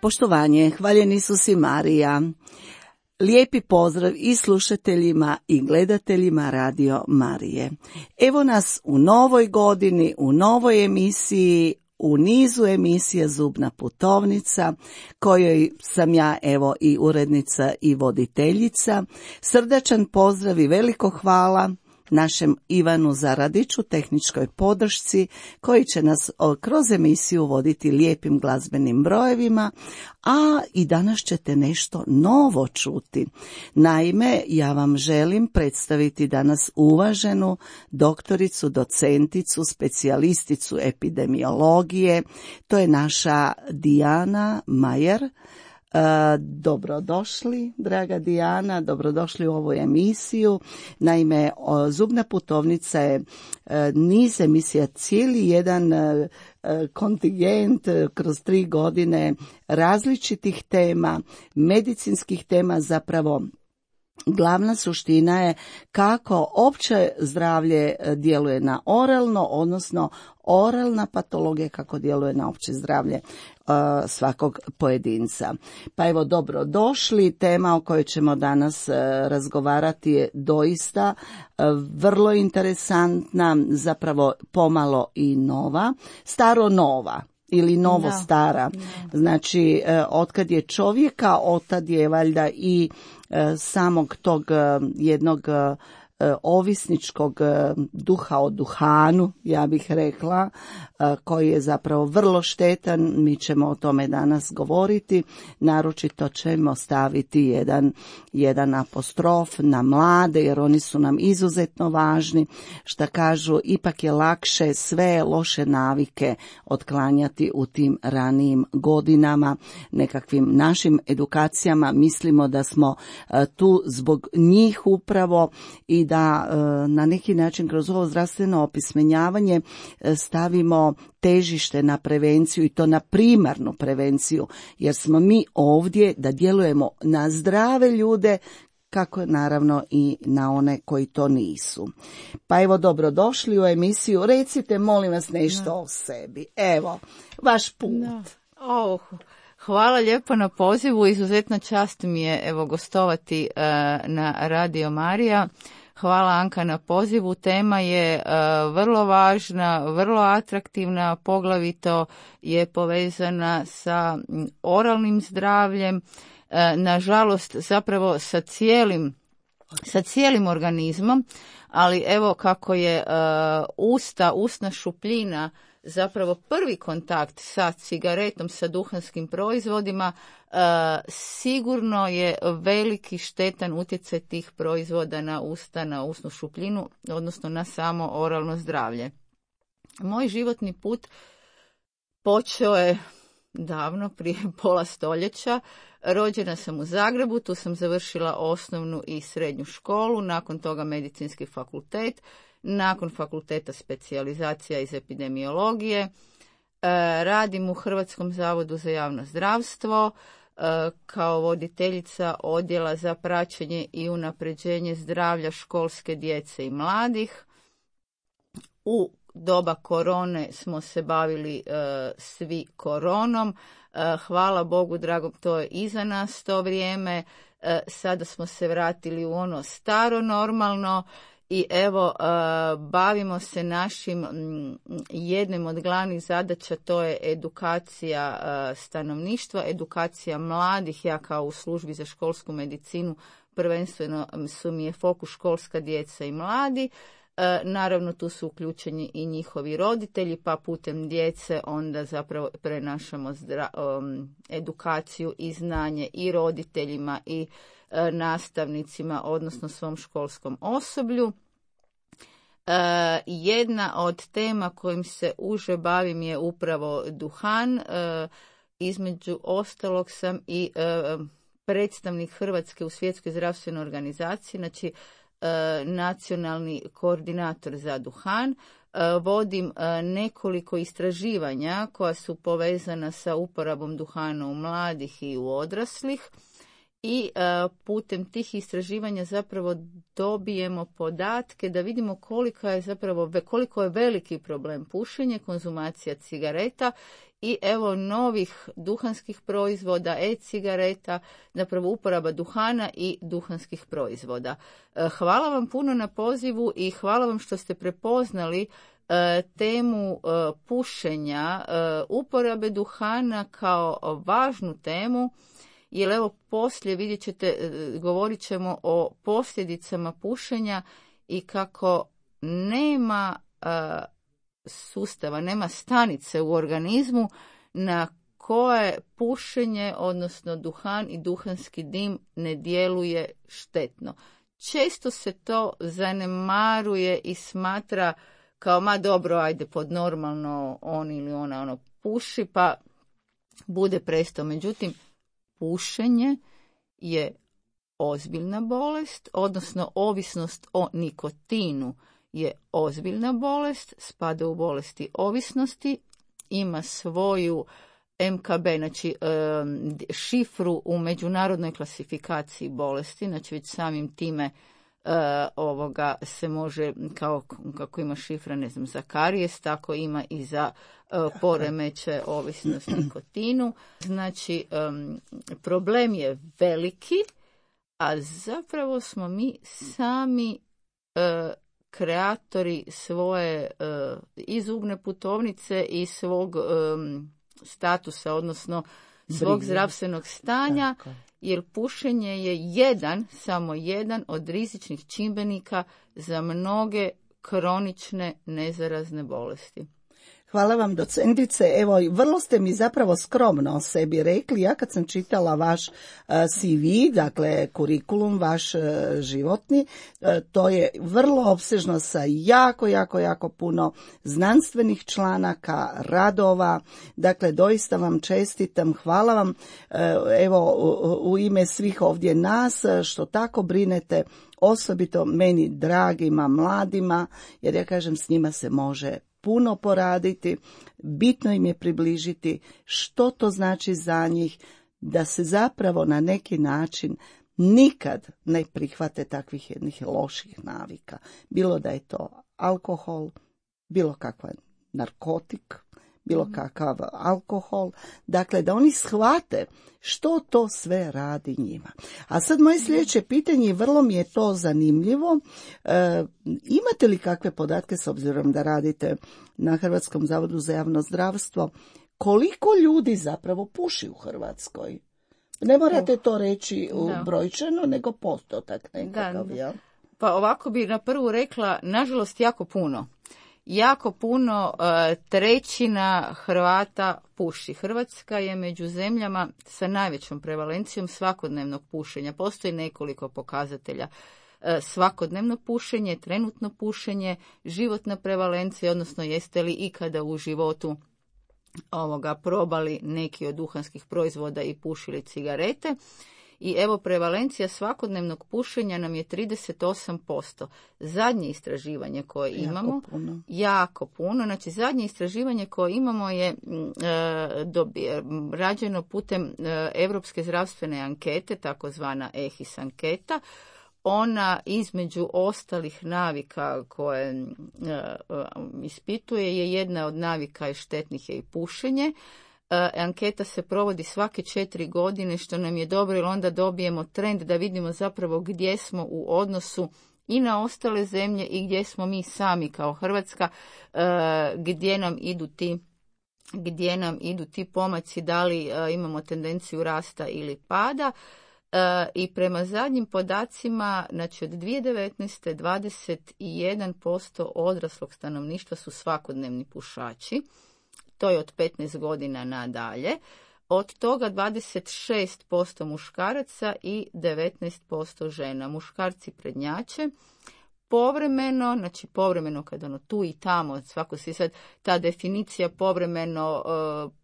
Poštovanje, hvaljeni Isus i Marija. Lijepi pozdrav i slušateljima i gledateljima Radio Marije. Evo nas u novoj godini, u novoj emisiji, u nizu emisija Zubna putovnica, kojoj sam ja evo i urednica i voditeljica. Srdačan pozdrav i veliko hvala našem Ivanu Zaradiću, tehničkoj podršci, koji će nas kroz emisiju voditi lijepim glazbenim brojevima, a i danas ćete nešto novo čuti. Naime, ja vam želim predstaviti danas uvaženu doktoricu, docenticu, specijalisticu epidemiologije. To je naša Dijana Majer. Dobrodošli, draga Dijana, dobrodošli u ovu emisiju. Naime, Zubna putovnica je niz emisija, cijeli jedan kontingent kroz 3 godine različitih tema, medicinskih tema. Zapravo glavna suština je kako opće zdravlje djeluje na oralno, odnosno oralna patologija kako djeluje na opće zdravlje svakog pojedinca. Pa evo, dobrodošli. Tema o kojoj ćemo danas razgovarati je doista vrlo interesantna, zapravo pomalo i nova, staro nova ili novo stara. Znači, otkad je čovjeka, otad je valjda i samog tog jednog ovisničkog duha o duhanu, ja bih rekla, koji je zapravo vrlo štetan. Mi ćemo o tome danas govoriti, naročito ćemo staviti jedan apostrof na mlade, jer oni su nam izuzetno važni. Šta kažu, ipak je lakše sve loše navike otklanjati u tim ranijim godinama, nekakvim našim edukacijama. Mislimo da smo tu zbog njih upravo i da na neki način kroz ovo zdravstveno opismenjavanje stavimo težište na prevenciju, i to na primarnu prevenciju, jer smo mi ovdje da djelujemo na zdrave ljude, kako naravno i na one koji to nisu. Pa evo, dobrodošli u emisiju. Recite, molim vas, nešto o sebi. Evo, vaš put. Hvala lijepo na pozivu. Izuzetna čast mi je evo gostovati na Radio Marija. Hvala, Anka, na pozivu. Tema je vrlo važna, vrlo atraktivna, poglavito je povezana sa oralnim zdravljem, nažalost zapravo sa cijelim organizmom, ali evo kako je usna šupljina zapravo prvi kontakt sa cigaretom, sa duhanskim proizvodima, sigurno je veliki štetan utjecaj tih proizvoda na usta, na usnu šupljinu, odnosno na samo oralno zdravlje. Moj životni put počeo je davno, prije pola stoljeća. Rođena sam u Zagrebu, tu sam završila osnovnu i srednju školu, nakon toga medicinski fakultet, nakon fakulteta specijalizacija iz epidemiologije. Radim u Hrvatskom zavodu za javno zdravstvo kao voditeljica odjela za praćenje i unapređenje zdravlja školske djece i mladih. U doba korone smo se bavili svi koronom. Hvala Bogu dragom, to je iza nas to vrijeme. Sada smo se vratili u ono staro normalno. I evo, bavimo se našim jednim od glavnih zadaća, to je edukacija stanovništva, edukacija mladih. Ja kao u službi za školsku medicinu prvenstveno su mi je fokus školska djeca i mladi. Naravno, tu su uključeni i njihovi roditelji, pa putem djece onda zapravo prenašamo edukaciju i znanje i roditeljima i nastavnicima, odnosno svom školskom osoblju. Jedna od tema kojim se uže bavim je upravo duhan. Između ostalog sam i predstavnik Hrvatske u Svjetskoj zdravstvenoj organizaciji, znači nacionalni koordinator za duhan. Vodim nekoliko istraživanja koja su povezana sa uporabom duhana u mladih i u odraslih. I putem tih istraživanja zapravo dobijemo podatke da vidimo koliko je veliki problem pušenje, konzumacija cigareta i evo novih duhanskih proizvoda, e-cigareta, zapravo uporaba duhana i duhanskih proizvoda. Hvala vam puno na pozivu i hvala vam što ste prepoznali temu pušenja, uporabe duhana kao važnu temu, jer evo poslije vidjet ćete, govorit ćemo o posljedicama pušenja i kako nema sustava, nema stanice u organizmu na koje pušenje, odnosno duhan i duhanski dim ne djeluje štetno. Često se to zanemaruje i smatra kao, ma dobro, ajde, pod normalno on ili ona puši, pa bude presto. Međutim, pušenje je ozbiljna bolest, odnosno ovisnost o nikotinu je ozbiljna bolest, spada u bolesti ovisnosti, ima svoju MKB, znači šifru u međunarodnoj klasifikaciji bolesti, znači već samim time se može, kako ima šifra, ne znam, za karijes, tako ima i za poremeće ovisnost nikotinu. Znači, problem je veliki, a zapravo smo mi sami kreatori svoje i zubne putovnice i svog statusa, odnosno svog zdravstvenog stanja, jer pušenje je samo jedan od rizičnih čimbenika za mnoge kronične nezarazne bolesti. Hvala vam, docentice. Evo, vrlo ste mi zapravo skromno o sebi rekli. Ja kad sam čitala vaš CV, dakle kurikulum, vaš životni, to je vrlo opsežno sa jako puno znanstvenih članaka, radova. Dakle, doista vam čestitam. Hvala vam, evo, u ime svih ovdje nas, što tako brinete, osobito meni dragima mladima, jer ja kažem, s njima se može puno poraditi, bitno im je približiti što to znači za njih, da se zapravo na neki način nikad ne prihvate takvih jednih loših navika. Bilo da je to alkohol, bilo kakav narkotik, bilo kakav alkohol, dakle da oni shvate što to sve radi njima. A sad moje sljedeće pitanje, vrlo mi je to zanimljivo, imate li kakve podatke, s obzirom da radite na Hrvatskom zavodu za javno zdravstvo, koliko ljudi zapravo puši u Hrvatskoj? Ne morate to reći brojčano, nego postotak nekakav, jel? Pa ovako bi na prvu rekla, nažalost, jako puno. Jako puno, trećina Hrvata puši. Hrvatska je među zemljama sa najvećom prevalencijom svakodnevnog pušenja. Postoji nekoliko pokazatelja. Svakodnevno pušenje, trenutno pušenje, životna prevalencija, odnosno jeste li ikada u životu probali neki od duhanskih proizvoda i pušili cigarete. I evo, prevalencija svakodnevnog pušenja nam je 38%. Zadnje istraživanje koje imamo, jako puno, znači zadnje istraživanje koje imamo je rađeno putem Europske zdravstvene ankete, takozvana EHIS anketa. Ona između ostalih navika koje ispituje je jedna od navika i štetnih je i pušenje. Anketa se provodi svake 4 godine, što nam je dobro, jer onda dobijemo trend da vidimo zapravo gdje smo u odnosu i na ostale zemlje i gdje smo mi sami kao Hrvatska, gdje nam idu ti pomaci, da li imamo tendenciju rasta ili pada. I prema zadnjim podacima, znači od 2019. 21% odraslog stanovništva su svakodnevni pušači. To je od 15 godina nadalje. Od toga 26% muškaraca i 19% žena. Muškarci prednjače. Povremeno, znači povremeno kad tu i tamo, svako si sad ta definicija povremeno,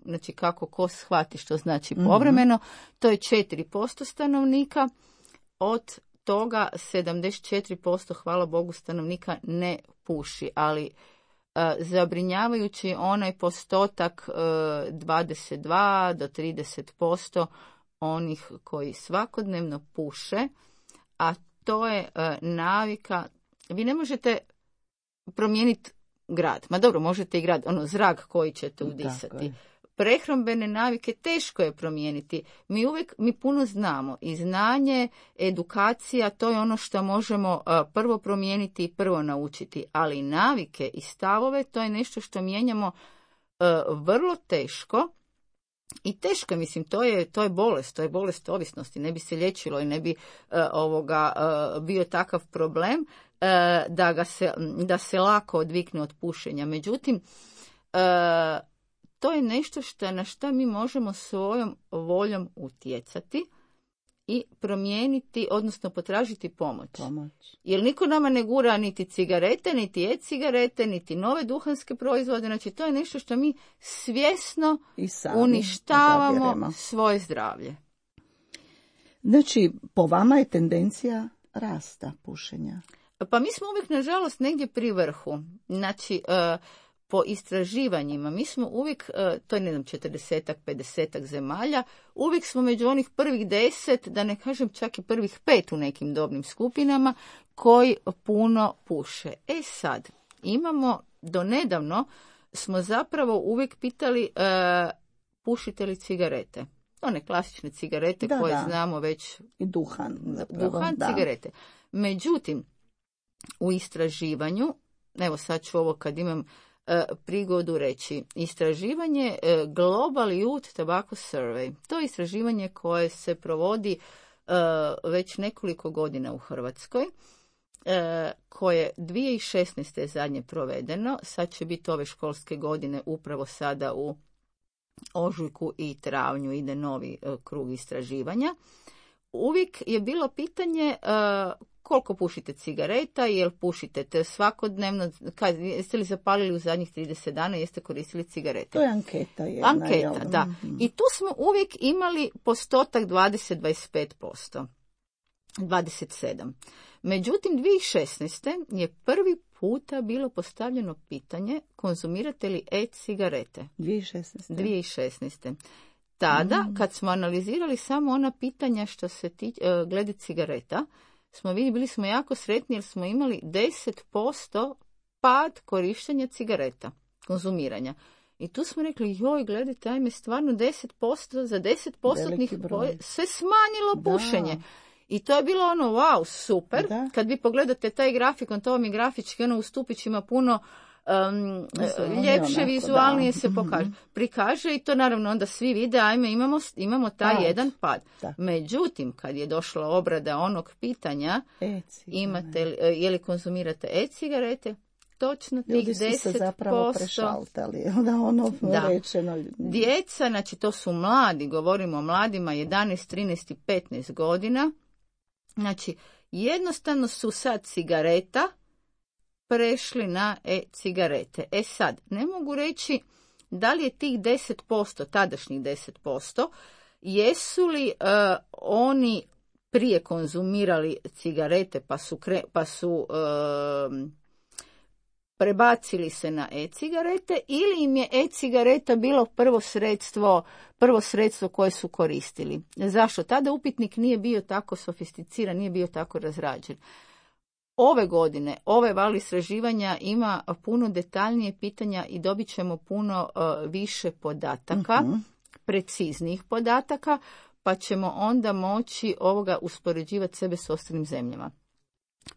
znači kako ko shvati što znači povremeno, to je 4% stanovnika. Od toga 74%, hvala Bogu, stanovnika ne puši, ali zabrinjavajući onaj postotak 22 do 30% onih koji svakodnevno puše, a to je navika. Vi ne možete promijeniti grad, ma dobro, možete i grad, zrak koji ćete udisati. prehrambene navike teško je promijeniti. Mi puno znamo i znanje, edukacija, to je ono što možemo prvo promijeniti i prvo naučiti, ali navike i stavove, to je nešto što mijenjamo vrlo teško. I teško, mislim, to je bolest ovisnosti, ne bi se liječilo i ne bi bio takav problem da se lako odvikne od pušenja. Međutim, to je nešto na što mi možemo svojom voljom utjecati i promijeniti, odnosno potražiti pomoć. Jer niko nama ne gura niti cigarete, niti e-cigarete, niti nove duhanske proizvode. Znači, to je nešto što mi svjesno uništavamo odabiremo svoje zdravlje. Znači, po vama je tendencija rasta pušenja? Pa mi smo uvijek, nažalost, negdje pri vrhu. Znači, po istraživanjima, mi smo uvijek, to je 40-ak, 50-ak zemalja, uvijek smo među onih prvih 10, da ne kažem čak i prvih 5 u nekim dobnim skupinama, koji puno puše. Sad, imamo, donedavno smo zapravo uvijek pitali pušite li cigarete. One klasične cigarete koje znamo već. I duhan. Cigarete. Međutim, u istraživanju, evo sad ću ovo kad imam prigodu reći, istraživanje Global Youth Tobacco Survey. To je istraživanje koje se provodi već nekoliko godina u Hrvatskoj, koje 2016. je zadnje provedeno, sad će biti ove školske godine, upravo sada u ožujku i travnju ide novi krug istraživanja. Uvijek je bilo pitanje koliko pušite cigareta, jel pušite te svakodnevno, jeste li zapalili u zadnjih 30 dana, jeste koristili cigarete. To je anketa jedna. Anketa, da. I tu smo uvijek imali postotak 20-25%. 27. Međutim, 2016. je prvi puta bilo postavljeno pitanje konzumirate li e-cigarete. 2016. Tada, kad smo analizirali samo ona pitanja što se glede cigareta, bili smo jako sretni jer smo imali 10% pad korištenja cigareta, konzumiranja. I tu smo rekli, gledajte, ajme, stvarno 10%, za 10% se smanjilo pušenje. I to je bilo ono, wow, super. Da. Kad vi pogledate taj grafikon, to vam je grafički, u stupićima puno ljepše, vizualnije se prikaže i to naravno onda svi vide, ajme, imamo taj jedan pad. Da. Međutim, kad je došla obrada onog pitanja, je li konzumirate e-cigarete, točno tih 10%. Ljudi su se zapravo prešaltali, rečeno. Djeca, znači to su mladi, govorimo o mladima, 11, 13 i 15 godina, znači jednostavno su sad cigareta prešli na e-cigarete. Sad, ne mogu reći da li je tih 10%, tadašnjih 10%, jesu li oni prije konzumirali cigarete pa su prebacili se na e-cigarete ili im je e-cigareta bilo prvo sredstvo koje su koristili. Zašto? Tada upitnik nije bio tako sofisticiran, nije bio tako razrađen. Ove godine, ove val istraživanja ima puno detaljnije pitanja i dobit ćemo puno više podataka, preciznijih podataka, pa ćemo onda moći uspoređivati sebe s ostalim zemljama.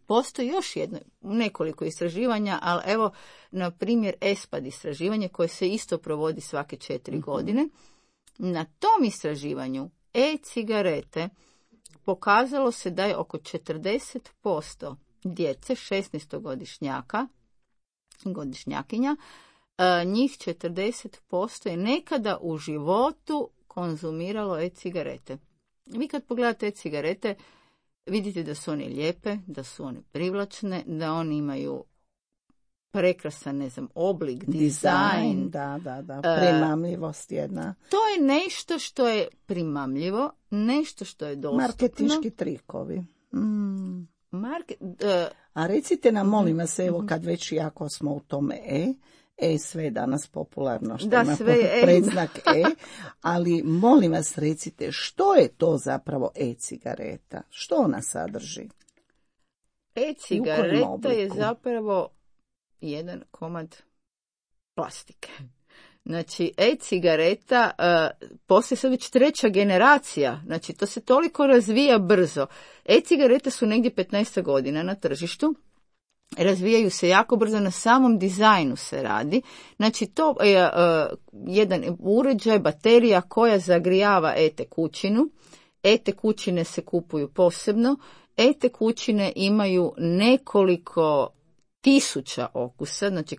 Postoji još nekoliko istraživanja, ali evo, na primjer, ESPAD istraživanje koje se isto provodi svake 4 godine. Na tom istraživanju e-cigarete pokazalo se da je oko 40% djece, 16-godišnjakinja, njih 40% je nekada u životu konzumiralo e-cigarete. Vi kad pogledate e-cigarete, vidite da su one lijepe, da su one privlačne, da oni imaju prekrasan, oblik, dizajn. Da, primamljivost jedna. To je nešto što je primamljivo, nešto što je dostupno. Marketinški trikovi. A recite nam, molim vas, evo kad već jako smo u tome sve je danas popularno, što ima predznak ali molim vas recite, što je to zapravo e-cigareta? Što ona sadrži? E-cigareta je zapravo jedan komad plastike. Znači, e-cigareta poslije sad već 3. generacija, znači to se toliko razvija brzo. E-cigarete su negdje 15 godina na tržištu, razvijaju se jako brzo, na samom dizajnu se radi. Znači, to je jedan uređaj, baterija koja zagrijava e-tekućinu. E-tekućine se kupuju posebno. E-tekućine imaju nekoliko tisuća okusa, znači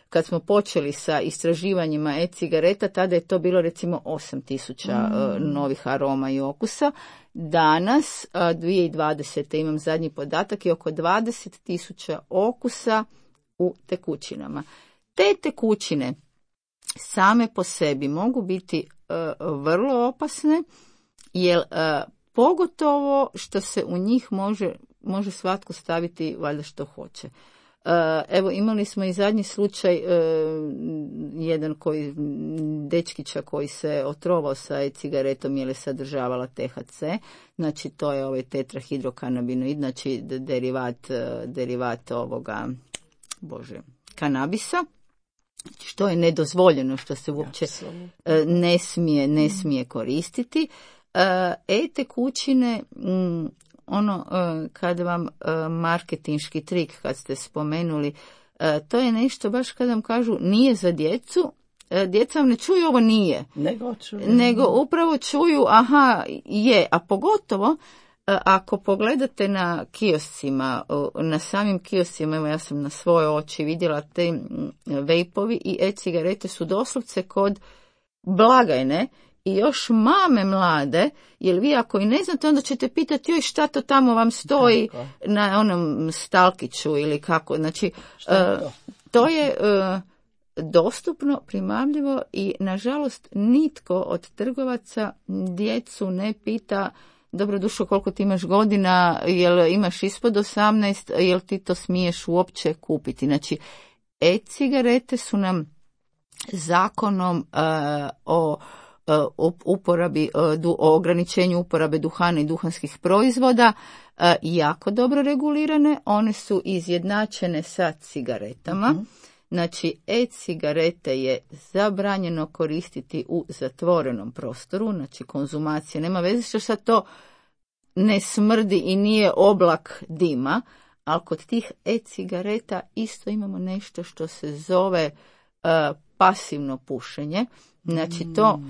kad smo počeli sa istraživanjima e-cigareta, tada je to bilo recimo 8.000 novih aroma i okusa. Danas, 2020. imam zadnji podatak, je oko 20.000 okusa u tekućinama. Te tekućine same po sebi mogu biti vrlo opasne, jer pogotovo što se u njih može svatko staviti valjda što hoće. Evo, imali smo i zadnji slučaj, jedan dečkića koji se otrovao sa e-cigaretom jer je sadržavala THC, znači to je ovaj tetrahidrokanabinoid, znači derivat ovoga, kanabisa, što je nedozvoljeno, što se uopće ne smije koristiti. E-tekućine, kad vam marketinški trik, kad ste spomenuli, to je nešto baš kad vam kažu nije za djecu, djeca vam ne čuju ovo nije, nego upravo čuju aha je, a pogotovo ako pogledate na kioscima, na samim kioscima, evo ja sam na svoje oči vidjela te vejpovi i e-cigarete su doslovce kod blagajne. I još mame mlade, jer vi ako i ne znate, onda ćete pitati joj šta to tamo vam stoji na onom stalkiću ili kako. Znači, to je dostupno, primamljivo i nažalost nitko od trgovaca djecu ne pita dobro dušo koliko ti imaš godina, jel imaš ispod 18, jel ti to smiješ uopće kupiti. Znači, e-cigarete su nam zakonom o uporabi, o ograničenju uporabe duhana i duhanskih proizvoda jako dobro regulirane. One su izjednačene sa cigaretama. Znači, e-cigarete je zabranjeno koristiti u zatvorenom prostoru, znači konzumacija nema veze što sad to ne smrdi i nije oblak dima, ali kod tih e-cigareta isto imamo nešto što se zove pasivno pušenje. Znači, to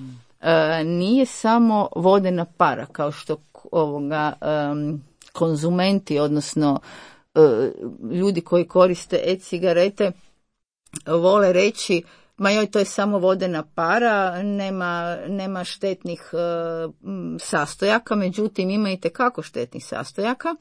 nije samo vodena para, kao što konzumenti, odnosno ljudi koji koriste e-cigarete vole reći, ma joj, to je samo vodena para, nema štetnih sastojaka, međutim ima itekako štetnih sastojaka.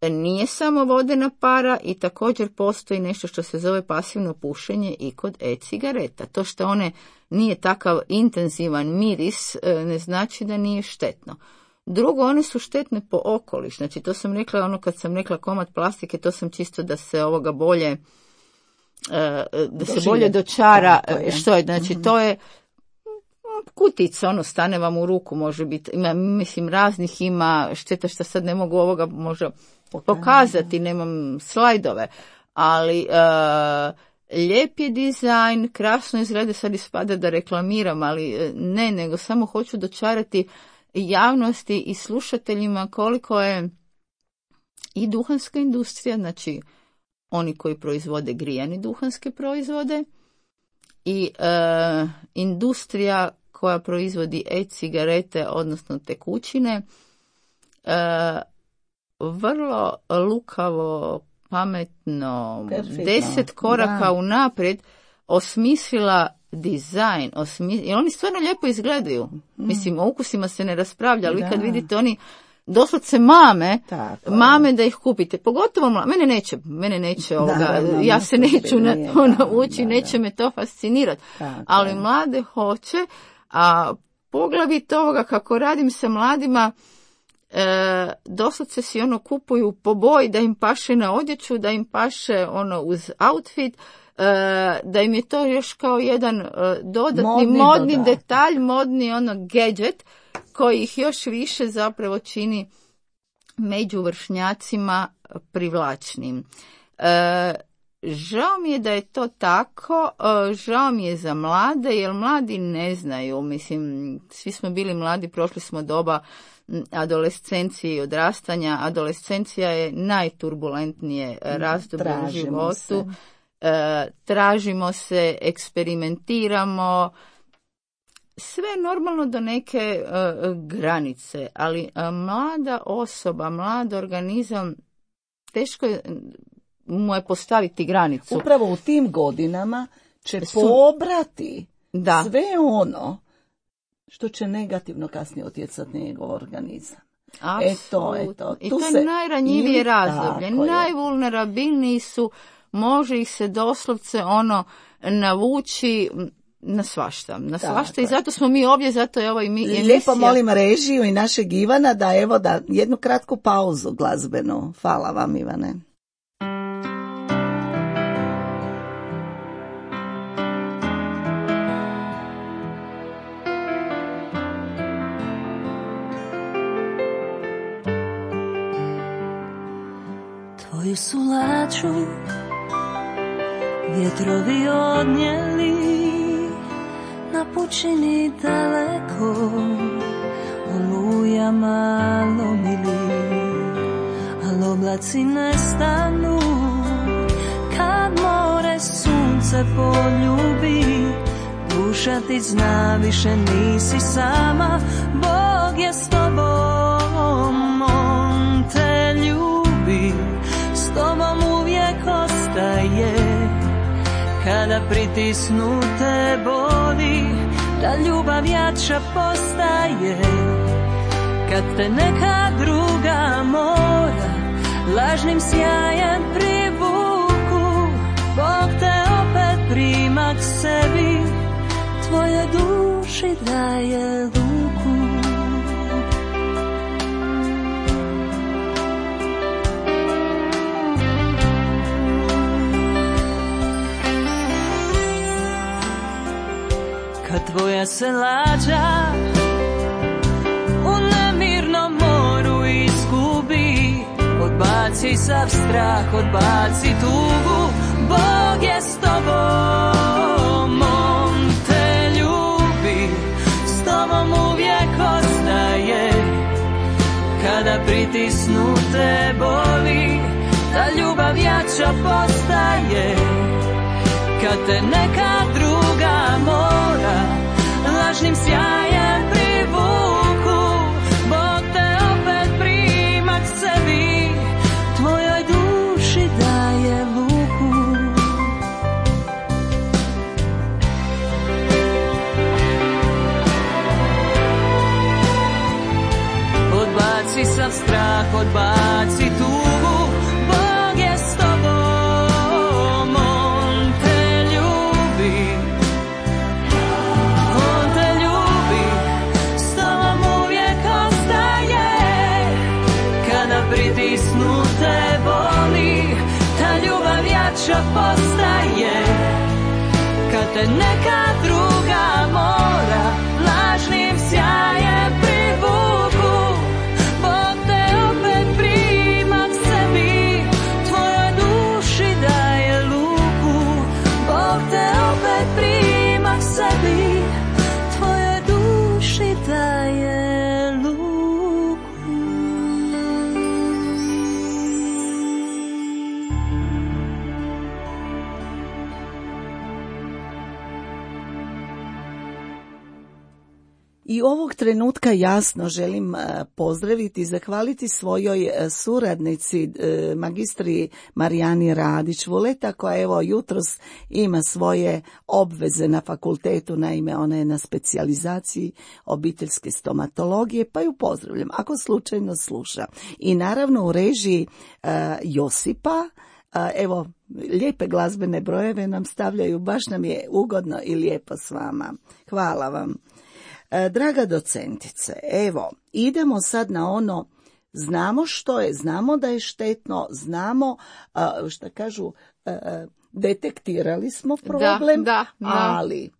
Nije samo vodena para i također postoji nešto što se zove pasivno pušenje i kod e-cigareta. To što one nije takav intenzivan miris ne znači da nije štetno. Drugo, one su štetne po okoliš. Znači, to sam rekla, kad sam rekla komad plastike, to sam čisto da se ovoga bolje se bolje dočara što je. Znači, to je kutica, stane vam u ruku, može biti, ima, mislim, raznih ima, šteta što sad ne mogu ovoga možda pokazati, nemam slajdove, ali lijep je dizajn, krasno izgleda, sad ispada da reklamiram, ali ne, nego samo hoću dočarati javnosti i slušateljima koliko je i duhanska industrija, znači oni koji proizvode grijane duhanske proizvode i industrija koja proizvodi e-cigarete, odnosno tekućine, vrlo lukavo, pametno, perfektno, 10 koraka unaprijed osmislila dizajn, i oni stvarno lijepo izgledaju. Mislim, o ukusima se ne raspravlja, ali vi kad vidite oni doslovce mame da ih kupite. Pogotovo mene neće ovoga, ja se neću na to naučiti, neće me to fascinirati. Ali mlade hoće, a poglavito ovoga kako radim sa mladima, doslovce si kupuju po boji da im paše na odjeću, da im paše uz outfit, da im je to još kao jedan dodatni modni detalj, modni gadget koji ih još više zapravo čini među vršnjacima privlačnim. žao mi je da je to tako, žao mi je za mlade, jer mladi ne znaju, mislim, svi smo bili mladi, prošli smo doba adolescencije i odrastanja. Adolescencija je najturbulentnije razdoblje u životu. Tražimo se, eksperimentiramo, sve normalno do neke granice, ali mlada osoba, mlad organizam, teško mu je postaviti granicu. Upravo u tim godinama će pobrati sve ono što će negativno kasnije utjecati na njegov organizam. Eto. I to je najranjivije razdoblje. Najvulnerabilniji su, može ih se doslovce navući na svašta. I zato smo mi ovdje, zato je ovo i emisija. Lijepo molim režiju i našeg Ivana da jednu kratku pauzu glazbenu. Hvala vam, Ivane. Tvoju su laču vjetrovi odnijeli na pučini daleko, olujama lomili, al oblaci nestanu kad more sunce poljubi. Duša ti zna, više nisi sama, Bog je s tobom, on te ljubi, s tobom uvijek ostaje. Kada pritisnu te boli, ta ljubav jača postaje. Kad te neka druga mora lažnim sjajem privuku, Bog te opet prima k sebi, tvoje duši daje luku. Kad tvoja se lađa u nemirnom moru izgubi, odbaci sav strah, odbaci tugu, Bog je s tobom, on te ljubi, s tobom uvijek ostaje. Kada pritisnu te boli, ta ljubav jača postaje. Kad te neka druga mora lažnim sjajem privuku, Bog te opet prima k sebi, tvojoj duši daje luku. Odbaci sav strah, odbaci tugu, Bog je s tobom, on te ljubi, on te ljubi, s tobom uvijek ostaje. Kada pritisnu te boli, ta ljubav jača postaje. Kad te neka druga mora lažnim sjajem privuku, Bog te opet prima k sebi, tvojoj duši daje luku. Bog te opet prima k sebi, tvojoj duši daje luku. I ovog trenutka jasno želim pozdraviti i zahvaliti svojoj suradnici, magistri Marijani Radić-Vuleta, koja evo jutros ima svoje obveze na fakultetu, naime ona je na specijalizaciji obiteljske stomatologije, pa ju pozdravljam ako slučajno sluša. I naravno u režiji Josipa, evo lijepe glazbene brojeve nam stavljaju, baš nam je ugodno i lijepo s vama. Hvala vam. Draga docentice, evo, idemo sad na ono, znamo što je, znamo da je štetno, znamo, šta kažu, detektirali smo problem, da. ali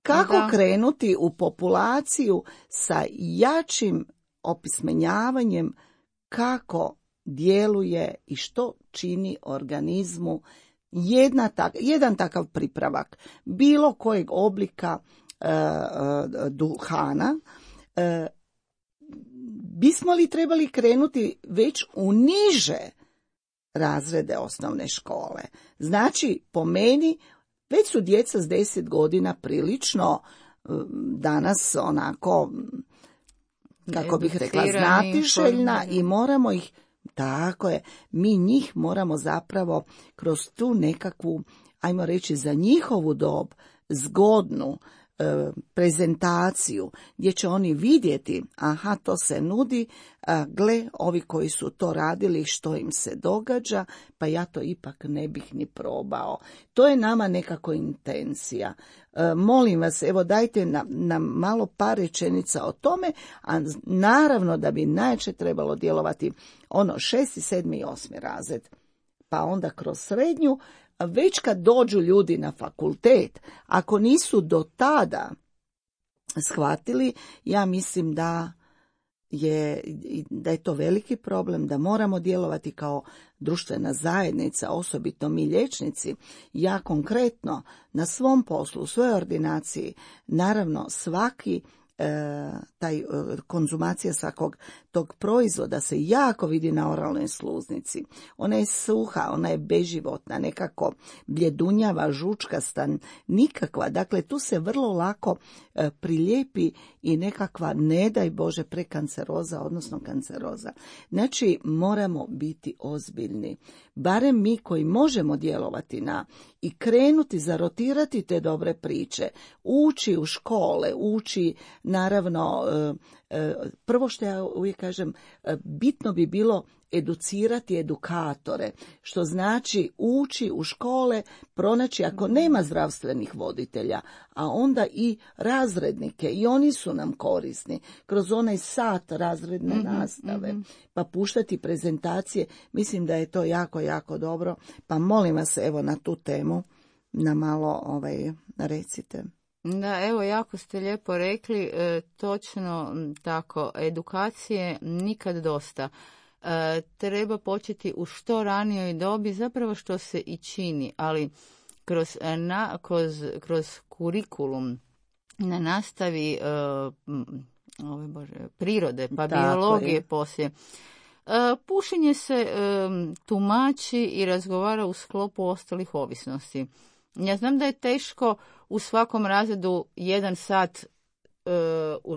kako krenuti u populaciju sa jačim opismenjavanjem kako djeluje i što čini organizmu jedan takav pripravak bilo kojeg oblika duhana, bismo li trebali krenuti već u niže razrede osnovne škole? Znači, po meni, već su djeca s 10 godina prilično danas onako, kako bih rekla, znatiželjna i moramo ih, tako je, mi njih moramo zapravo kroz tu nekakvu, ajmo reći, za njihovu dob zgodnu prezentaciju gdje će oni vidjeti, aha, to se nudi, gle, ovi koji su to radili, što im se događa, pa ja to ipak ne bih ni probao. To je nama nekako intencija. Molim vas, evo dajte nam malo par rečenica o tome, a naravno da bi najčešće trebalo djelovati ono 6., 7. i 8. razred, pa onda kroz srednju. Već kad dođu ljudi na fakultet, ako nisu do tada shvatili, ja mislim da je to veliki problem, da moramo djelovati kao društvena zajednica, osobito mi liječnici. Ja konkretno na svom poslu, u svojoj ordinaciji, naravno svaki konzumacija svakog tog proizvoda se jako vidi na oralnoj sluznici. Ona je suha, ona je beživotna, nekako bljedunjava, žučkasta, nikakva. Dakle, tu se vrlo lako prilijepi i nekakva, ne daj Bože, prekanceroza, odnosno kanceroza. Znači, moramo biti ozbiljni. Barem mi koji možemo djelovati i krenuti, zarotirati te dobre priče, ući u škole, ući, naravno, prvo što ja uvijek kažem, bitno bi bilo educirati edukatore, što znači ući u škole, pronaći, ako nema zdravstvenih voditelja, a onda i razrednike, i oni su nam korisni, kroz onaj sat razredne nastave, pa puštati prezentacije, mislim da je to jako, jako dobro, pa molim vas, evo, na tu temu na malo recite. Da, evo, jako ste lijepo rekli, točno tako, edukacije nikad dosta. Treba početi u što ranijoj dobi, zapravo što se i čini, ali kroz kurikulum na nastavi prirode, pa tako biologije je. Poslije. Pušenje se tumači i razgovara u sklopu ostalih ovisnosti. Ja znam da je teško u svakom razredu 1 sat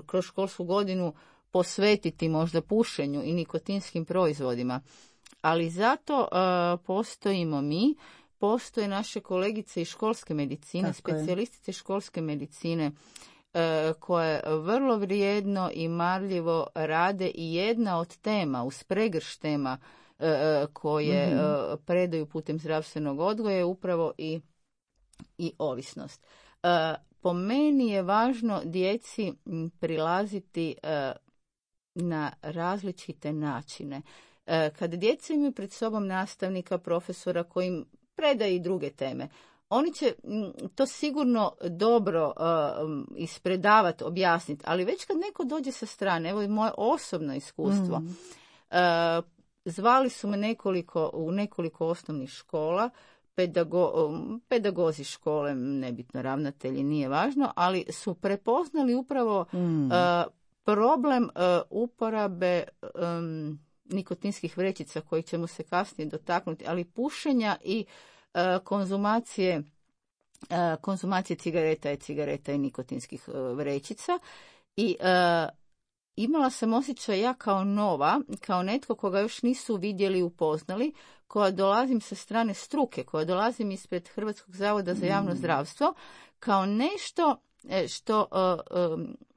kroz školsku godinu posvetiti možda pušenju i nikotinskim proizvodima, ali zato postojimo mi, postoje naše kolegice iz školske medicine, specijalistice školske medicine, koje vrlo vrijedno i marljivo rade, i jedna od tema, uz pregrš tema koje predaju putem zdravstvenog odgoja je upravo i ovisnost. Po meni je važno djeci prilaziti na različite načine. Kad djeca imaju pred sobom nastavnika, profesora koji im predaje i druge teme, oni će to sigurno dobro ispredavati, objasniti, ali već kad neko dođe sa strane, evo i moje osobno iskustvo, zvali su me u nekoliko osnovnih škola, pedagozi škole, nebitno ravnatelji, nije važno, ali su prepoznali upravo problem uporabe nikotinskih vrećica, koji ćemo se kasnije dotaknuti, ali pušenja i konzumacije cigareta i nikotinskih vrećica. I imala sam osjećaj, ja kao nova, kao netko koga još nisu vidjeli i upoznali, koja dolazim sa strane struke, koja dolazim ispred Hrvatskog zavoda za javno zdravstvo, kao nešto što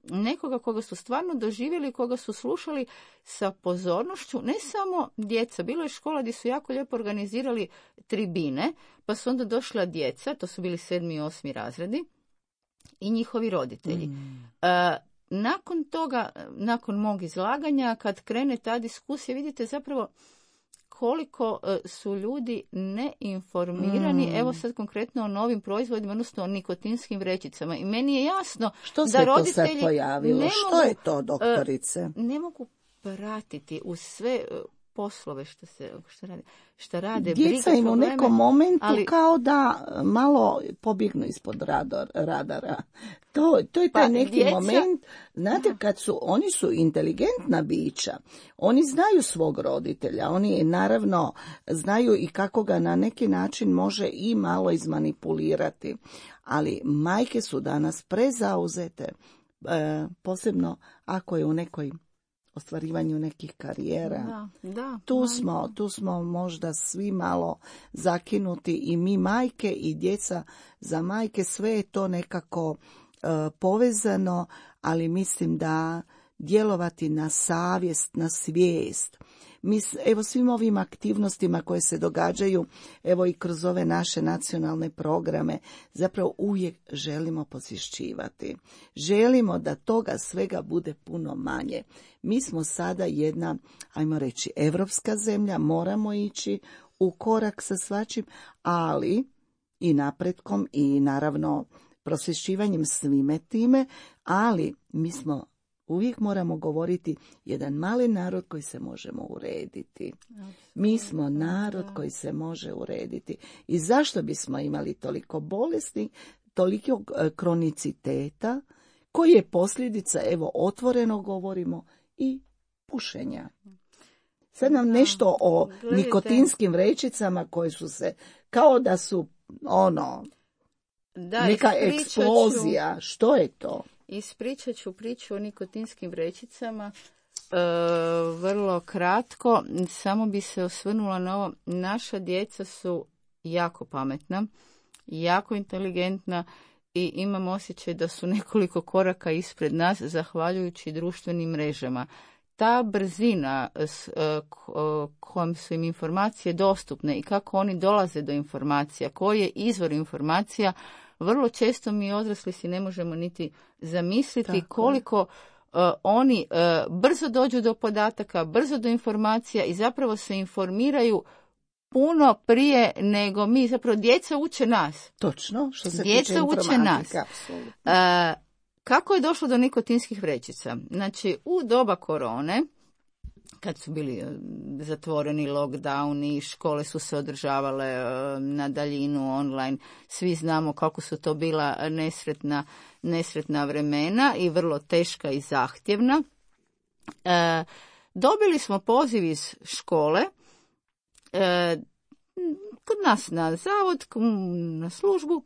nekoga koga su stvarno doživjeli, koga su slušali sa pozornošću, ne samo djeca. Bilo je škola gdje su jako lijepo organizirali tribine, pa su onda došla djeca, to su bili 7. i 8. razredi, i njihovi roditelji. Nakon toga, nakon mog izlaganja, kad krene ta diskusija, vidite zapravo koliko su ljudi neinformirani, evo sad konkretno o novim proizvodima, odnosno o nikotinskim vrećicama. I meni je jasno što da roditelji to sad pojavilo? Što je to, doktorice? Ne mogu pratiti uz sve poslove šta rade. Djeca im u nekom momentu kao da malo pobjegnu ispod radara. To je taj neki moment, znate, oni su inteligentna bića, oni znaju svog roditelja, oni naravno znaju i kako ga na neki način može i malo izmanipulirati, ali majke su danas prezauzete, posebno ako je u nekoj ostvarivanju nekih karijera. Tu smo možda svi malo zakinuti, i mi majke i djeca za majke, sve je to nekako povezano, ali mislim da djelovati na savjest, na svijest. Evo svim ovim aktivnostima koje se događaju, evo i kroz ove naše nacionalne programe, zapravo uvijek želimo posvješćivati. Želimo da toga svega bude puno manje. Mi smo sada jedna, ajmo reći, evropska zemlja, moramo ići u korak sa svačim, ali i napretkom i naravno prosvješćivanjem svime time, ali mi smo uvijek moramo govoriti jedan mali narod koji se možemo urediti. Mi smo narod koji se može urediti. I zašto bismo imali toliko bolesti, toliko kroniciteta, koji je posljedica, evo otvoreno govorimo, i pušenja. Sad nam nešto o nikotinskim vrećicama koje su se, kao da su neka eksplozija. Što je to? Ispričat ću priču o nikotinskim vrećicama vrlo kratko. Samo bi se osvrnula na ovo. Naša djeca su jako pametna, jako inteligentna i imam osjećaj da su nekoliko koraka ispred nas zahvaljujući društvenim mrežama. Ta brzina kojom su im informacije dostupne i kako oni dolaze do informacija, koji je izvor informacija, vrlo često mi odrasli si ne možemo niti zamisliti koliko oni brzo dođu do podataka, brzo do informacija i zapravo se informiraju puno prije nego mi. Zapravo djeca uče nas. Točno, što se djeca tiče informatike. Kako je došlo do nikotinskih vrećica? Znači, u doba korone, kad su bili zatvoreni lockdowni, škole su se održavale na daljinu, online, svi znamo kako su to bila nesretna vremena i vrlo teška i zahtjevna. Dobili smo poziv iz škole, kod nas na zavod, na službu,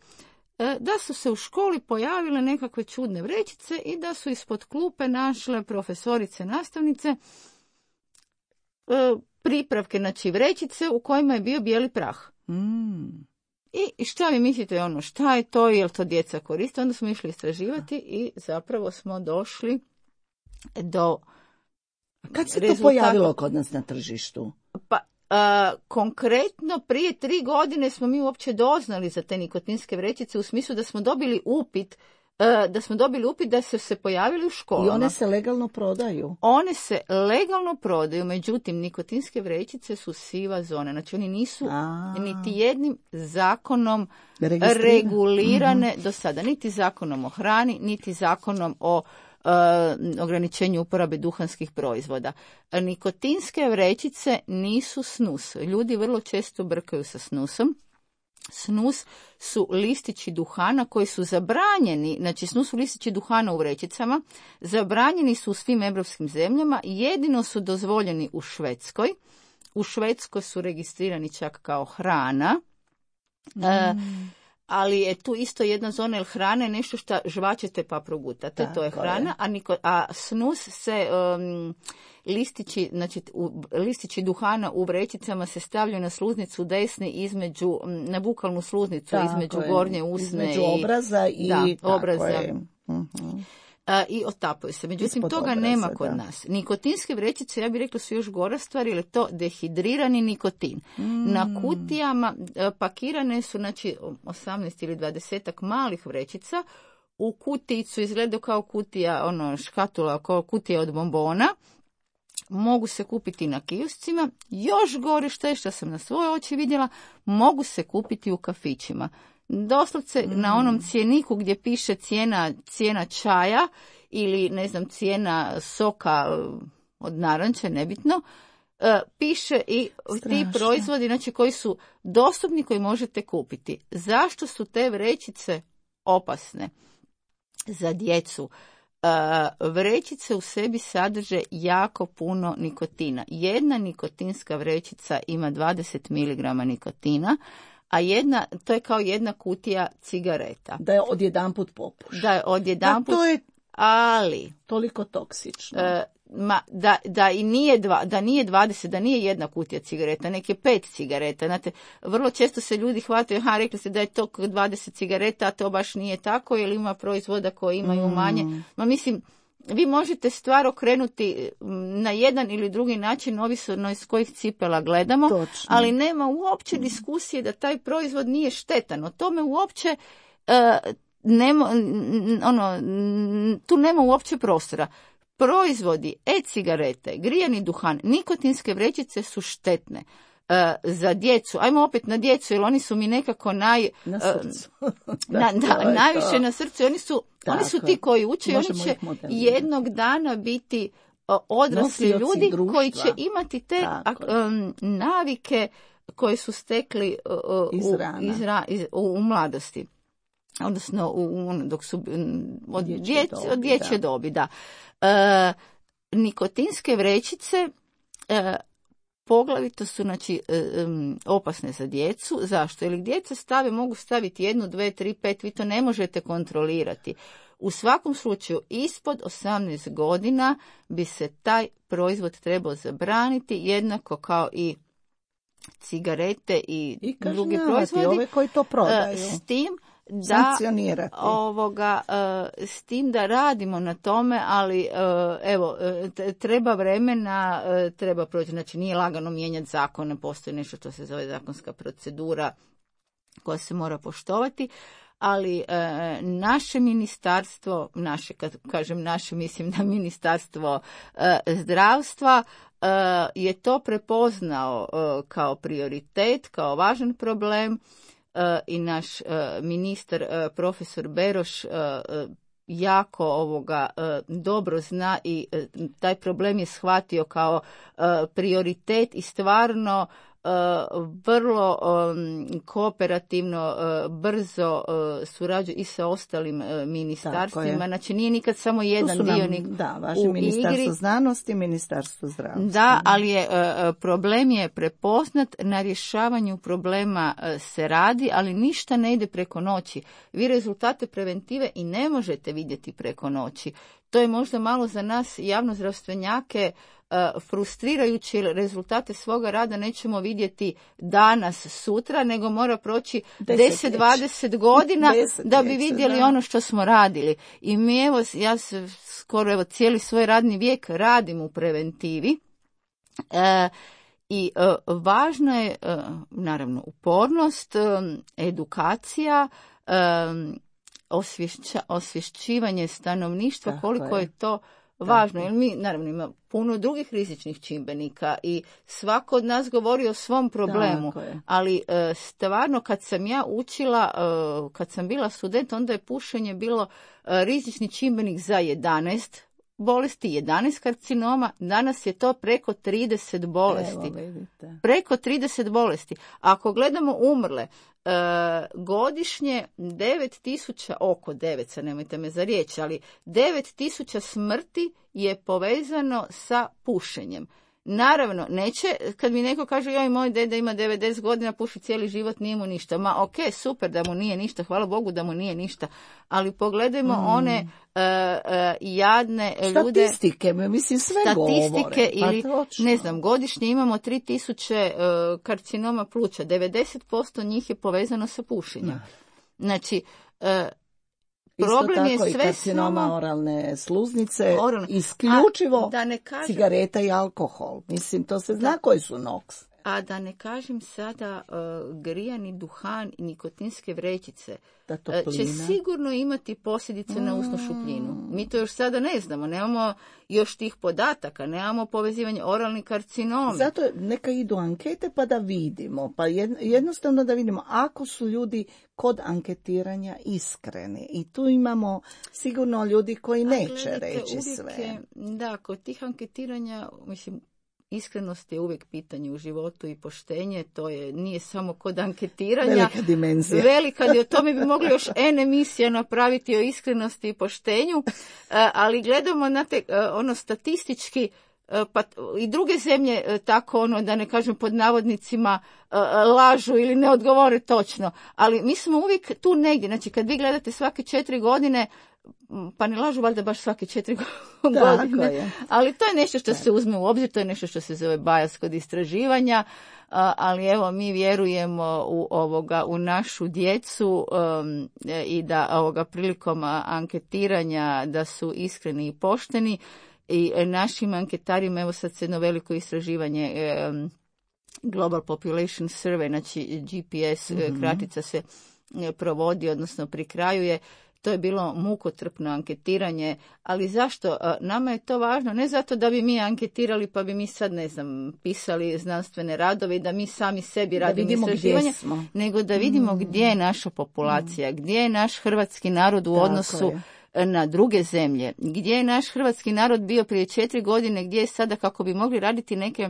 da su se u školi pojavile nekakve čudne vrećice i da su ispod klupe našle profesorice, nastavnice, pripravke, znači vrećice u kojima je bio bijeli prah. I šta vi mislite, šta je to, je li to djeca koriste? Onda smo išli istraživati i zapravo smo došli do Kad se to pojavilo kod nas na tržištu? Pa, konkretno prije 3 godine smo mi uopće doznali za te nikotinske vrećice u smislu da smo dobili upit da su se pojavili u školama. I one se legalno prodaju? One se legalno prodaju, međutim, nikotinske vrećice su siva zona. Znači, oni nisu niti jednim zakonom regulirane do sada. Niti zakonom o hrani, niti zakonom o ograničenju uporabe duhanskih proizvoda. Nikotinske vrećice nisu snus. Ljudi vrlo često brkaju sa snusom. Snus su listići duhana koji su zabranjeni, znači snus su listići duhana u vrećicama, zabranjeni su u svim europskim zemljama, jedino su dozvoljeni u Švedskoj. U Švedskoj su registrirani čak kao hrana, ali je tu isto jedna zona, jer hrana je nešto što žvačete pa progutate, to je hrana, a snus se... listići duhana u vrećicama se stavljaju na sluznicu desne na bukalnu sluznicu između gornje usne između obraza i obraza. I otapaju se. Međutim, toga nema kod nas. Nikotinske vrećice, ja bih rekla, su još gora stvar, jer je to dehidrirani nikotin. Na kutijama pakirane su, znači, 18 ili 20 malih vrećica. U kutijicu izgleda kao kutija, škatula, kao kutija od bombona. Mogu se kupiti na kioscima. Još gore što sam na svoje oči vidjela, mogu se kupiti u kafićima. Doslovce na onom cjeniku gdje piše cijena čaja ili cijena soka od naranče, nebitno, piše i Strašno. ti proizvodi, znači koji su dostupni, koji možete kupiti. Zašto su te vrećice opasne za djecu? Vrećice u sebi sadrže jako puno nikotina. Jedna nikotinska vrećica ima 20 mg nikotina, a to je kao jedna kutija cigareta. Da je odjedanput popuš. Da je odjedanput, to je ali toliko toksično. da i nije 20, da nije jedna kutija cigareta, nek je 5 cigareta. Znate, vrlo često se ljudi hvataju, rekli ste da je to 20 cigareta, a to baš nije tako, jer ima proizvoda koji imaju manje. Mislim, vi možete stvar okrenuti na jedan ili drugi način, ovisno iz kojih cipela gledamo, Točno. ali nema uopće diskusije da taj proizvod nije štetan. O tome uopće tu nema uopće prostora. Proizvodi, e-cigarete, grijani duhan, nikotinske vrećice su štetne za djecu. Ajmo opet na djecu, jer oni su mi nekako na srcu. najviše na srcu. Oni su ti koji uče i oni će jednog dana biti odrasli ljudi društva, koji će imati te navike koje su stekli u mladosti. Odnosno dok su od dječje dobi, da. Nikotinske vrećice poglavito su opasne za djecu. Zašto? Jer djeca mogu staviti 1, 2, 3, 5, vi to ne možete kontrolirati. U svakom slučaju, ispod 18 godina bi se taj proizvod trebao zabraniti, jednako kao i cigarete i drugi proizvodi. Ove koji to prodaju. S tim s tim da radimo na tome, ali treba vremena, treba proći, znači nije lagano mijenjati zakone, postoji nešto što se zove zakonska procedura koja se mora poštovati, ali naše ministarstvo, kad kažem naše, mislim na Ministarstvo zdravstva, je to prepoznao kao prioritet, kao važan problem. I naš ministar profesor Beroš jako dobro zna i taj problem je shvatio kao prioritet i stvarno vrlo kooperativno, brzo surađuje i sa ostalim ministarstvima. Znači nije nikad samo jedan dionik vaše Ministarstvo znanosti i Ministarstvo zdravstva. Da, ali problem je prepoznat, na rješavanju problema se radi, ali ništa ne ide preko noći. Vi rezultate preventive i ne možete vidjeti preko noći. To je možda malo za nas javnozdravstvenjake frustrirajući, jer rezultate svoga rada nećemo vidjeti danas, sutra, nego mora proći 10-20 godina da bi vidjeli ono što smo radili. I mi ja skoro cijeli svoj radni vijek radim u preventivi. I važno je, naravno, upornost, edukacija, osvješćivanje stanovništva, koliko je to važno, jer mi naravno ima puno drugih rizičnih čimbenika i svako od nas govori o svom problemu, ali stvarno kad sam ja učila, kad sam bila student, onda je pušenje bilo rizični čimbenik za 11 bolesti, 11 karcinoma, danas je to preko 30 bolesti. Preko 30 bolesti. Ako gledamo umrle, godišnje 9.000, oko 9, nemojte me za riječ, ali 9.000 smrti je povezano sa pušenjem. Naravno, neće, kad mi neko kaže, joj, moj deda ima 90 godina, puši cijeli život, nije mu ništa. Ma, ok, super da mu nije ništa, hvala Bogu da mu nije ništa, ali pogledajmo one jadne ljude. Statistike, mislim, sve statistike govore. Ili, ne znam, godišnje imamo 3.000 karcinoma pluća, 90% njih je povezano sa pušenjem. Znači, problem isto tako je sve i karcinoma oralne sluznice, isključivo cigareta i alkohol. Mislim, to se zna koji su NOx. A da ne kažem sada grijani duhan i nikotinske vrećice će sigurno imati posljedice na usnu šupljinu. Mi to još sada ne znamo, nemamo još tih podataka, nemamo povezivanje oralni karcinomi. Zato neka idu ankete pa da vidimo, pa jednostavno da vidimo ako su ljudi kod anketiranja iskreni. I tu imamo sigurno ljudi koji neće reći sve. Da, kod tih anketiranja, mislim, iskrenost je uvijek pitanje u životu i poštenje, to nije samo kod anketiranja. Velika dimenzija. O tome bi mogli još N emisija napraviti o iskrenosti i poštenju, ali gledamo na statistički, pa i druge zemlje tako da ne kažem pod navodnicima lažu ili ne odgovore točno, ali mi smo uvijek tu negdje, znači kad vi gledate svake 4 godine, pa ne lažu valjda baš svake 4 godine, ali to je nešto što se uzme u obzir, to je nešto što se zove bias kod istraživanja, ali evo mi vjerujemo u našu djecu i da prilikom anketiranja da su iskreni i pošteni. I našim anketarima, evo sad se jedno veliko istraživanje Global Population Survey, znači GPS kratica se provodi, odnosno pri kraju je. To je bilo mukotrpno anketiranje, ali zašto? Nama je to važno, ne zato da bi mi anketirali pa bi mi sad, ne znam, pisali znanstvene radove i da mi sami sebi radimo istraživanje, nego da vidimo gdje je naša populacija, gdje je naš hrvatski narod u odnosu na druge zemlje, gdje je naš hrvatski narod bio prije 4 godine, gdje je sada, kako bi mogli raditi neke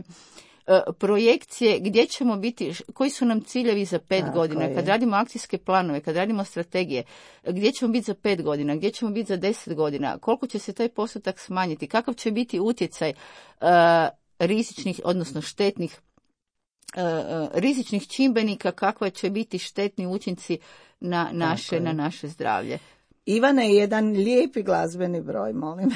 projekcije, gdje ćemo biti, koji su nam ciljevi za 5 godina, kad radimo akcijske planove, kad radimo strategije, gdje ćemo biti za 5 godina, gdje ćemo biti za 10 godina, koliko će se taj postotak smanjiti, kakav će biti utjecaj rizičnih, odnosno štetnih rizičnih čimbenika, kakva će biti štetni učinci na naše zdravlje. Ivane, jedan lijepi glazbeni broj, molim.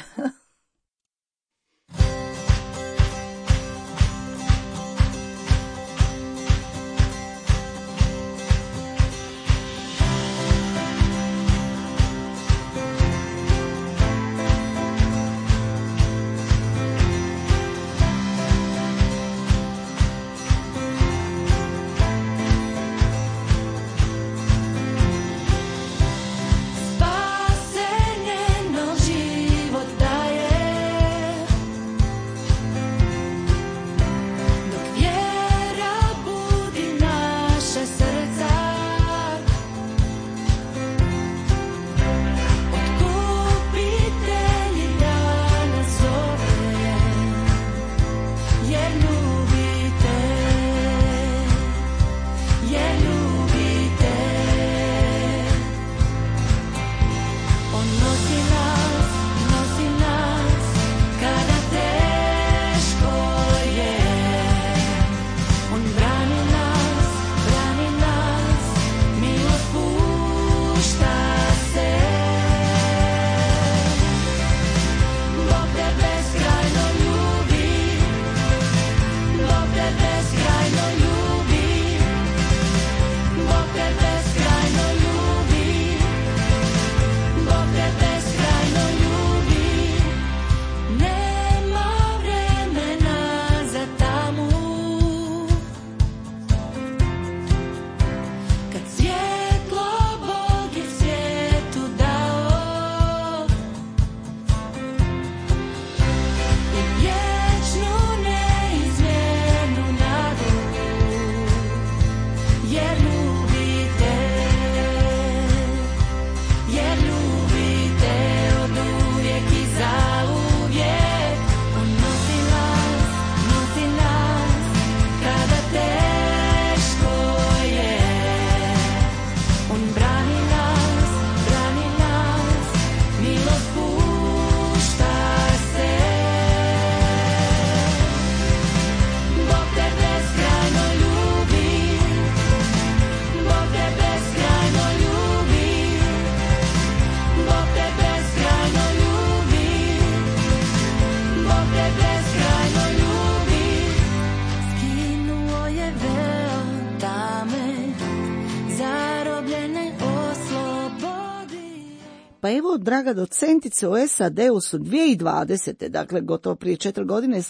Pa evo, draga docentice, u SAD-u su 2020. dakle gotovo prije 4 godine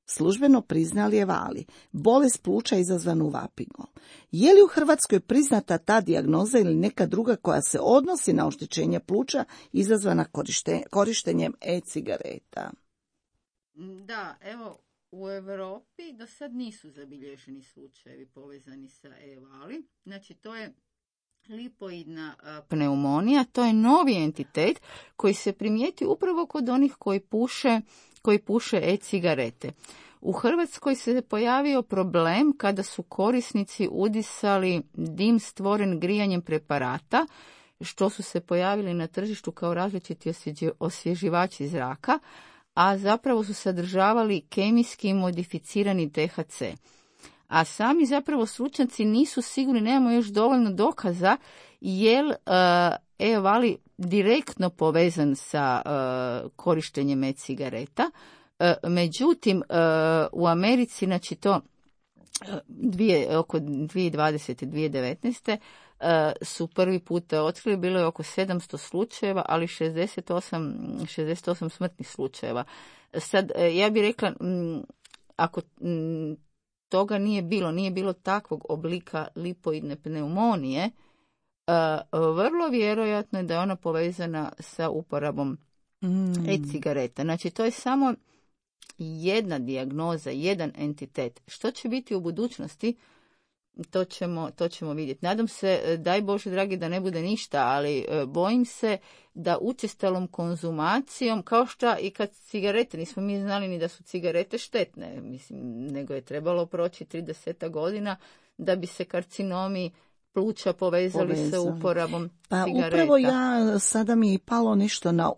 službeno priznali Evali, bolest pluća izazvanu vapingom. Je li u Hrvatskoj priznata ta dijagnoza ili neka druga koja se odnosi na oštećenje pluća izazvana korištenjem e-cigareta? Da, evo, u Europi do sad nisu zabilježeni slučajevi povezani sa Evali. Znači, to je Lipoidna pneumonija, to je novi entitet koji se primijeti upravo kod onih koji puše e-cigarete. U Hrvatskoj se pojavio problem kada su korisnici udisali dim stvoren grijanjem preparata, što su se pojavili na tržištu kao različiti osvježivači zraka, a zapravo su sadržavali kemijski modificirani THC. A sami zapravo stručnjaci nisu sigurni, nemamo još dovoljno dokaza, je li e-vali direktno povezan sa korištenjem e-cigareta. Međutim, u Americi, znači to oko 2020. 2019. Su prvi put otkrili, bilo je oko 700 slučajeva, ali 68 smrtnih slučajeva. Sad, ja bih rekla, ako toga nije bilo takvog oblika lipoidne pneumonije, vrlo vjerojatno je da je ona povezana sa uporabom e-cigareta. Znači, to je samo jedna dijagnoza, jedan entitet. Što će biti u budućnosti, to ćemo vidjeti. Nadam se, daj Bože dragi, da ne bude ništa, ali bojim se da učestalom konzumacijom, kao što i kad cigarete, nismo mi znali ni da su cigarete štetne, mislim, nego je trebalo proći 30 godina da bi se karcinomi pluća povezali sa uporabom cigareta. Upravo sada mi je palo nešto na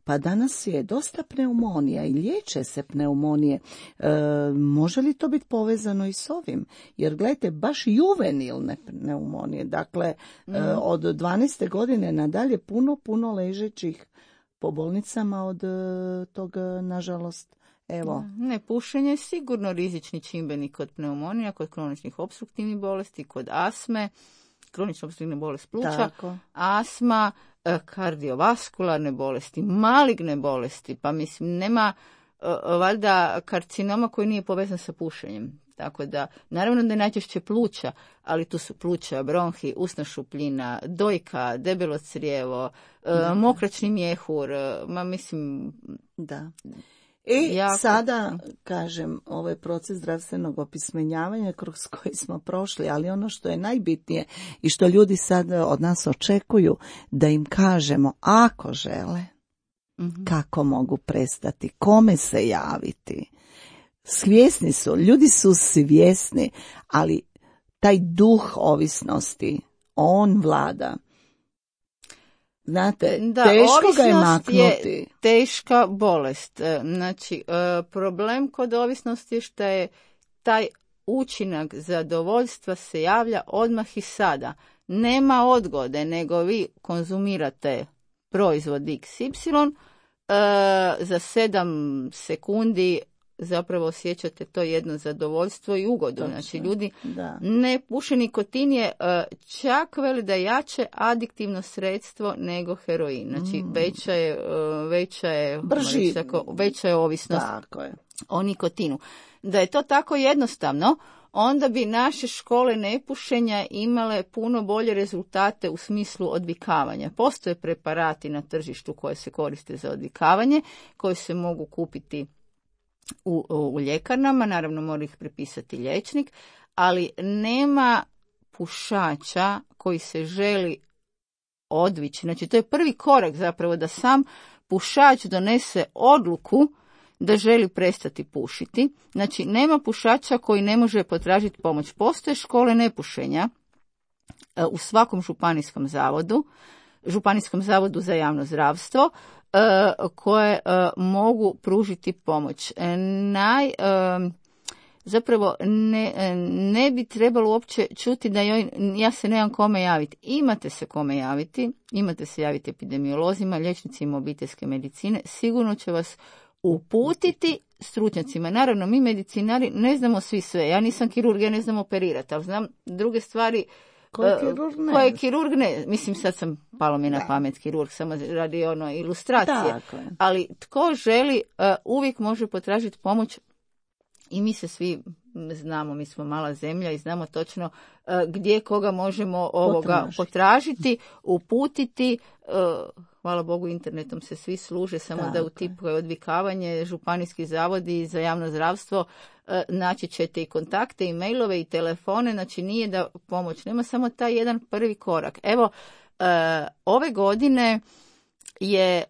pa danas je dosta pneumonija i liječe se pneumonije. Može li to biti povezano i s ovim? Jer gledajte, baš juvenilne pneumonije, dakle od 12. godine nadalje puno ležećih po bolnicama od toga, nažalost. Evo. Ne, pušenje je sigurno rizični čimbenik kod pneumonija, kod kroničnih opstruktivnih bolesti, kod astme, kronična opstruktivna bolest pluća, astma, kardiovaskularne bolesti, maligne bolesti, pa mislim nema valjda karcinoma koji nije povezan sa pušenjem. Tako da, naravno da je najčešće pluća, ali tu su pluća, bronhi, usna šupljina, dojka, debelo crijevo, mokračni mjehur, Da. Sada, kažem, ovaj proces zdravstvenog opismenjavanja kroz koji smo prošli, ali ono što je najbitnije i što ljudi sad od nas očekuju, da im kažemo ako žele, kako mogu prestati, kome se javiti. Svjesni su, ljudi su svjesni, ali taj duh ovisnosti, on vlada. Znate, teško ga je maknuti. Je teška bolest. Znači, problem kod ovisnosti je što je taj učinak zadovoljstva se javlja odmah i sada. Nema odgode, nego vi konzumirate proizvod XY, za 7 sekundi zapravo osjećate to jedno zadovoljstvo i ugodu. Točno, znači, ljudi ne puše, nikotin je čak veli da je jače adiktivno sredstvo nego heroin. Znači, veća je ovisnost o nikotinu. Da je to tako jednostavno, onda bi naše škole nepušenja imale puno bolje rezultate u smislu odvikavanja. Postoje preparati na tržištu koje se koriste za odvikavanje, koji se mogu kupiti u ljekarnama, naravno mora ih prepisati liječnik, ali nema pušača koji se želi odvići. Znači, to je prvi korak zapravo, da sam pušač donese odluku da želi prestati pušiti. Znači, nema pušača koji ne može potražiti pomoć. Postoje škole nepušenja u svakom županijskom zavodu za javno zdravstvo, koje mogu pružiti pomoć. Zapravo ne bi trebalo uopće čuti da ja se nemam kome javiti. Imate se kome javiti, imate se javiti epidemiolozima, liječnicima obiteljske medicine, sigurno će vas uputiti stručnjacima. Naravno, mi medicinari ne znamo svi sve. Ja nisam kirurg, ja ne znam operirati, ali znam druge stvari. Koje kirurg ne. Mislim, sad palo mi na pamet kirurg, samo radi ilustracije. Ali tko želi, uvijek može potražiti pomoć i mi se svi znamo, mi smo mala zemlja i znamo točno gdje koga možemo potražiti, uputiti. Hvala Bogu, internetom se svi služe, samo da utipkaju odvikavanje, županijski zavodi za javno zdravstvo, naći ćete i kontakte, i mailove, i telefone, znači nije da pomoć nema, samo taj jedan prvi korak. Evo, ove godine je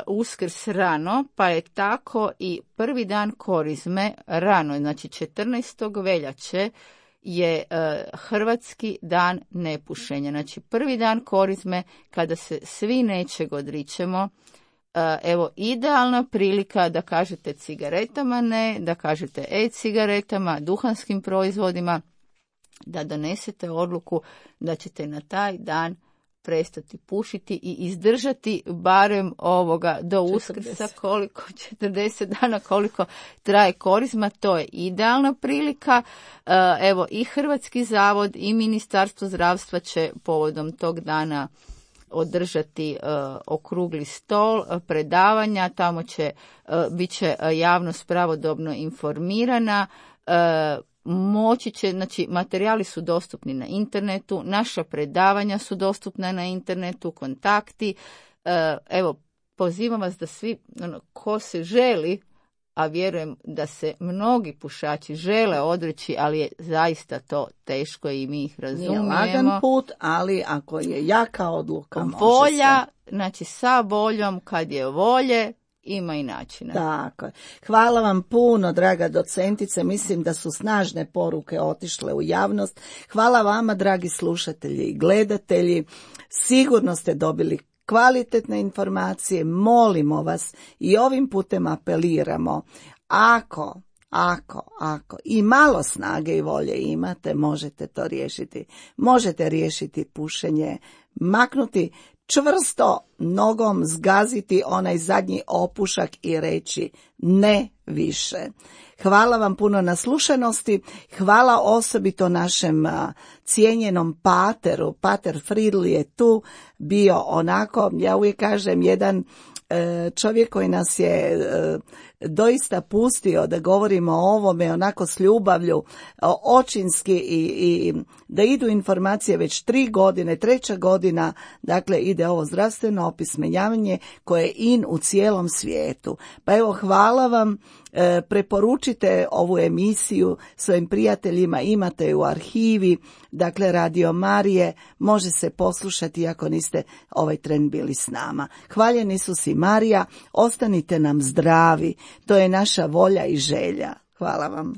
Uskrs rano, pa je tako i prvi dan Korizme rano, znači 14. veljače je Hrvatski dan nepušenja. Znači prvi dan Korizme kada se svi nečeg odričemo. Evo, idealna prilika da kažete cigaretama ne, da kažete e-cigaretama, duhanskim proizvodima, da donesete odluku da ćete na taj dan prestati pušiti i izdržati barem do Uskrsa, 40 dana koliko traje Korizma. To je idealna prilika. Evo, i Hrvatski zavod i Ministarstvo zdravstva će povodom tog dana održati okrugli stol, predavanja, tamo bit će javnost pravodobno informirana, moći će, znači materijali su dostupni na internetu, naša predavanja su dostupna na internetu, kontakti. Evo, pozivam vas da svi, ko se želi, a vjerujem da se mnogi pušači žele odreći, ali je zaista to teško i mi ih razumijemo. Nije lagan put, ali ako je jaka odluka, volja, znači sa voljom, kad je volje, ima i načina. Tako je. Hvala vam puno, draga docentice. Mislim da su snažne poruke otišle u javnost. Hvala vama, dragi slušatelji i gledatelji. Sigurno ste dobili kvalitetne informacije. Molimo vas i ovim putem apeliramo. Ako i malo snage i volje imate, možete to riješiti. Možete riješiti pušenje, maknuti čvrsto nogom, zgaziti onaj zadnji opušak i reći ne više. Hvala vam puno na slušanosti, hvala osobito našem cijenjenom pateru. Pater Fridl je tu bio onako, ja uvijek kažem, jedan čovjek koji nas je doista pustio da govorimo o ovome onako s ljubavlju, očinski i da idu informacije već 3 godine, 3. godina, dakle ide ovo zdravstveno opismenjavanje koje je in u cijelom svijetu. Pa evo, hvala vam, preporučite ovu emisiju svojim prijateljima, imate ju u arhivi, dakle Radio Marije, može se poslušati ako niste ovaj tren bili s nama. Hvaljen Isus i Marija, ostanite nam zdravi, to je naša volja i želja. Hvala vam.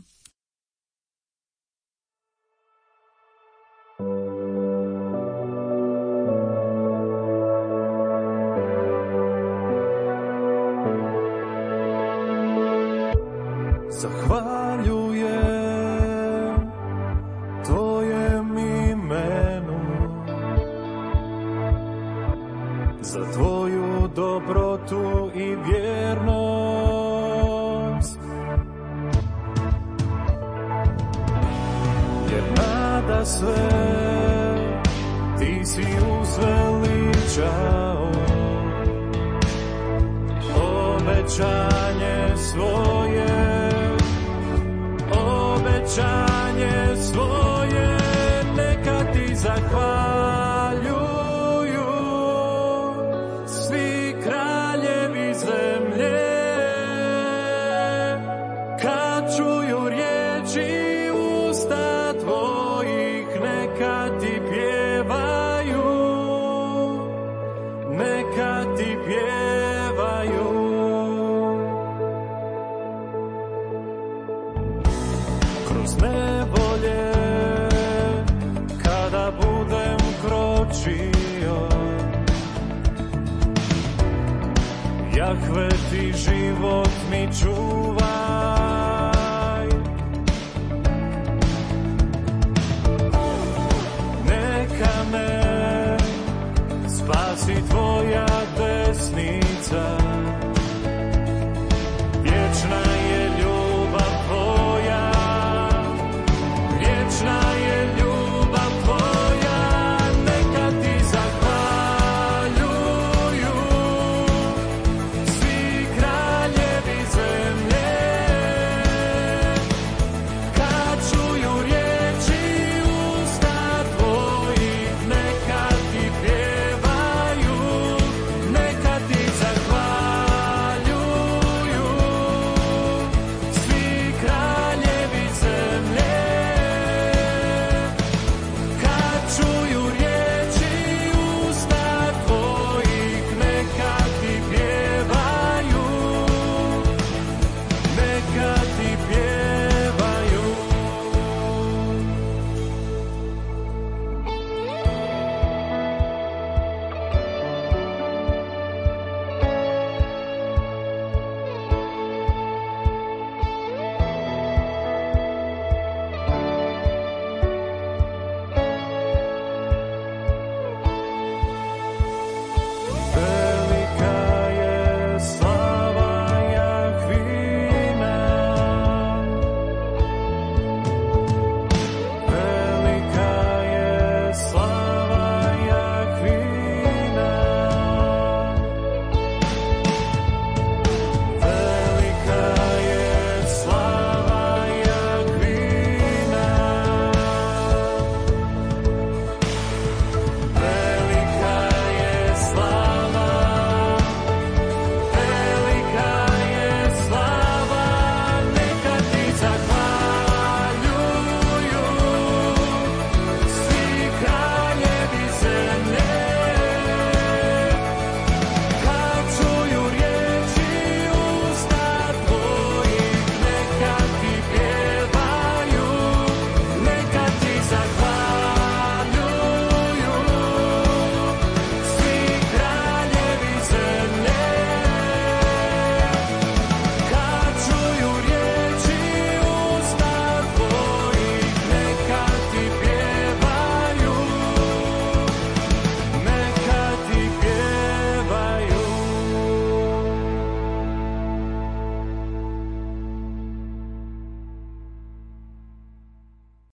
Zahvaljujem Tvojem imenu za Tvoju dobrotu i vjernost, jer nada sve Ti si uzveličao, obećanje svoje, obećanje svoje, neka Ti zahvaljuju svi kraljevi zemlje, kad čuju riječi usta Tvojih, neka Ti pjevaju, neka Ti pjevaju. Kroz nevolje, kada budem kročio, Jahve Ti život mi čuva.